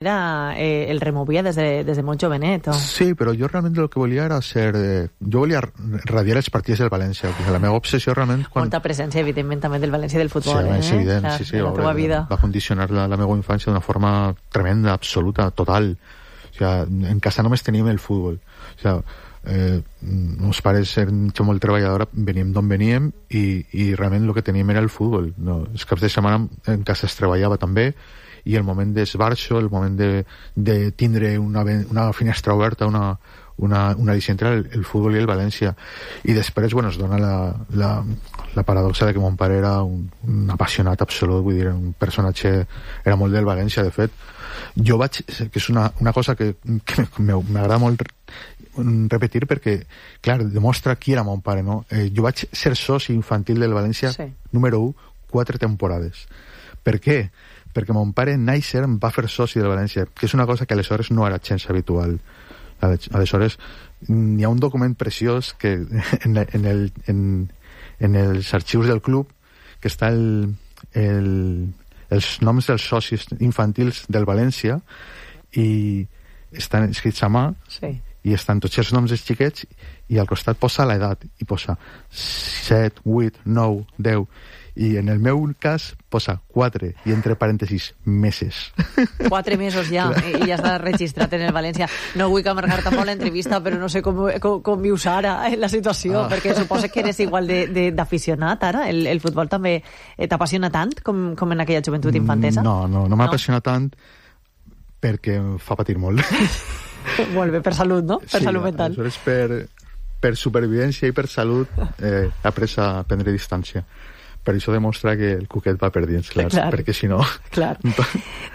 Era, el removia des de molt jovenet. Sí, però jo realment el que volia era ser... jo volia radiar els partits del València, perquè la meva obsessió realment... Molta presència, evidentment, també del València i del futbol. Sí, és evident, clar, sí, la teva vida. Va condicionar la meva infància d'una forma tremenda, absoluta, total. O sea, en casa només teníem el futbol. O sea, meus pares eren molt treballadora, veníem d'on veníem i realment el que teníem era el futbol. No, els caps de setmana en casa es treballava també, i el moment d'esbarxo, el moment de tindre una finestra oberta, una allicient era el futbol i el València. I després, bueno, es dona la paradoxa de que mon pare era un apassionat absolut, vull dir, un personatge, era molt del València, de fet. Jo vaig, que és una cosa que m'agrada molt repetir perquè, clar, demostra qui era mon pare, no? Jo vaig ser soci infantil del València, sí. Número 1, 4 temporades. Per què? Perquè mon pare Nàixer em va fer soci del València, que és una cosa que aleshores no era gens habitual. Aleshores hi ha un document preciós que en els arxius del club que està els noms dels socis infantils del València i estan escrits a mà, sí. I estan tots els noms dels xiquets i al costat posa l'edat i posa 7, 8, 9, 10 i en el meu cas posa 4 i entre parèntesis meses. 4 mesos ja i ja està registrat en el València. No vull amargar tampoc l'entrevista, però no sé com vius ara la situació, perquè suposo que eres igual d'aficionat ara. El futbol també t'apassiona tant com en aquella joventut infantesa? No m'apassiona tant perquè em fa patir molt. Molt bé, per salut, no? Per salut mental. Aleshores, per supervivència i per salut he après a prendre distància. Per això demostra que el cuquet va per dins, clar, perquè si no... Clar.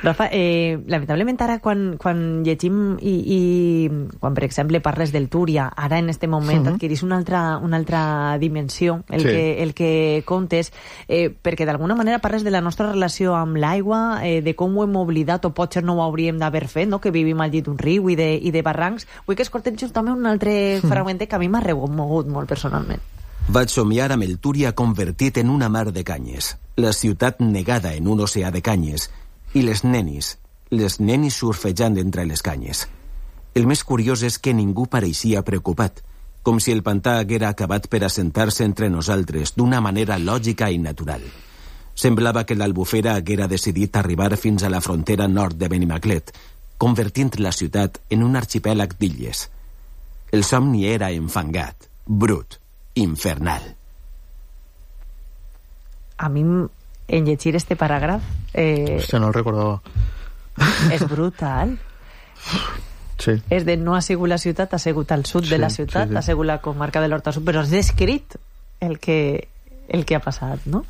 Rafa, lamentablement ara quan llegim i quan, per exemple, parles del Túria, ara en este moment adquirís una altra dimensió, el que contes, perquè d'alguna manera parles de la nostra relació amb l'aigua, de com ho hem oblidat o potser no ho hauríem d'haver fet, no? Que vivim al llit d'un riu i de barrancs. Vull que escoltem justament un altre fragment que a mi m'ha remogut molt personalment. Vaig somiar amb el Túria convertit en una mar de canyes, la ciutat negada en un oceà de canyes, i les nenis surfejant entre les canyes. El més curiós és que ningú pareixia preocupat, com si el pantà haguera acabat per assentar-se entre nosaltres d'una manera lògica i natural. Semblava que l'Albufera haguera decidit arribar fins a la frontera nord de Benimaclet, convertint la ciutat en un arxipèlag d'illes. El somni era enfangat, brut, infernal. A mi, en llegir este paràgraf... Hòstia, no el recordava. És brutal. Sí. És de no ha sigut la ciutat, ha sigut al sud de la ciutat, ha sigut la comarca de l'Horta Sud, però has descrit el que ha passat, no?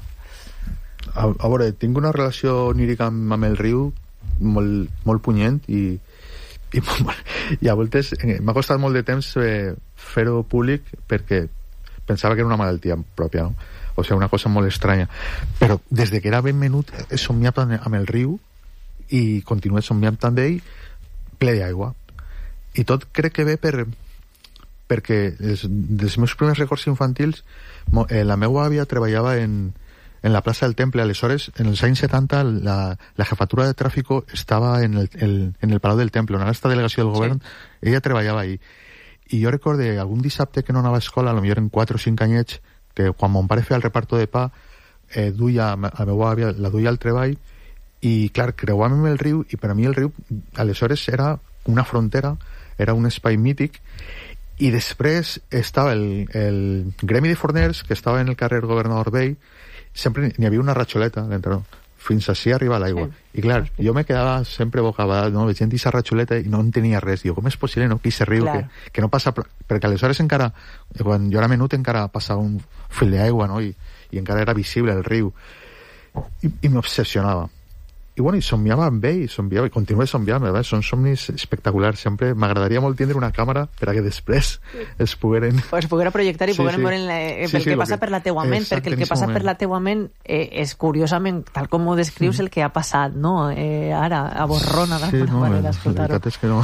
A veure, tinc una relació onírica amb el riu molt punyent i a voltes m'ha costat molt de temps fer-ho públic perquè pensava que era una malaltia pròpia, no? O sigui, una cosa molt estranya. Però des de que era ben menut he somiat amb el riu i continué somiant amb ell ple d'aigua. I tot crec que ve perquè dels meus primers records infantils la meva àvia treballava en la plaça del Temple. Aleshores, en els anys 70 la jefatura de tràfico estava en el Palau del Temple, on ara està delegació del govern. Sí. Ella treballava ahí. I jo recorde algun dissabte que no anava a escola, potser eren 4 o 5 anyets, que quan mon pare feia el reparto de pa duia a la meva àvia, la duia al treball i clar, creuàvem el riu i per a mi el riu aleshores era una frontera, era un espai mític i després estava el gremi de forners que estava en el carrer Governador Vell, sempre n'hi havia una ratxoleta d'entre fins així arriba l'aigua. Sí. I clar, jo me quedava sempre bocabadat, no? Veient aquesta ratxoleta i no entenia res. Diu, com és possible, no? Que aquest riu, que no passa... Perquè aleshores encara, quan jo era menut, encara passava un fil d'aigua, no? I encara era visible el riu. I m'obsessionava. I bueno, i somiava amb ell, i continuo somniant, són somnis espectaculars. Sempre m'agradaria molt tindre una càmera per a que després es pogueren projectar i pogueren veure el que passa per la teua ment, perquè el que passa per la teua ment és curiosament, tal com ho descrius, el que ha passat, no? Ara, a borrona d'alguna manera, escoltar-ho. La veritat és que no...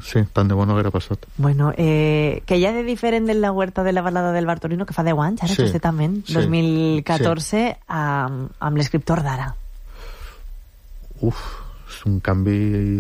Sí, tant de bo no haguera passat. Bueno, que hi ha de diferent de la huerta de la balada del Bartolino, que fa 10 anys, ara justament, 2014, amb l'escriptor d'ara. és un canvi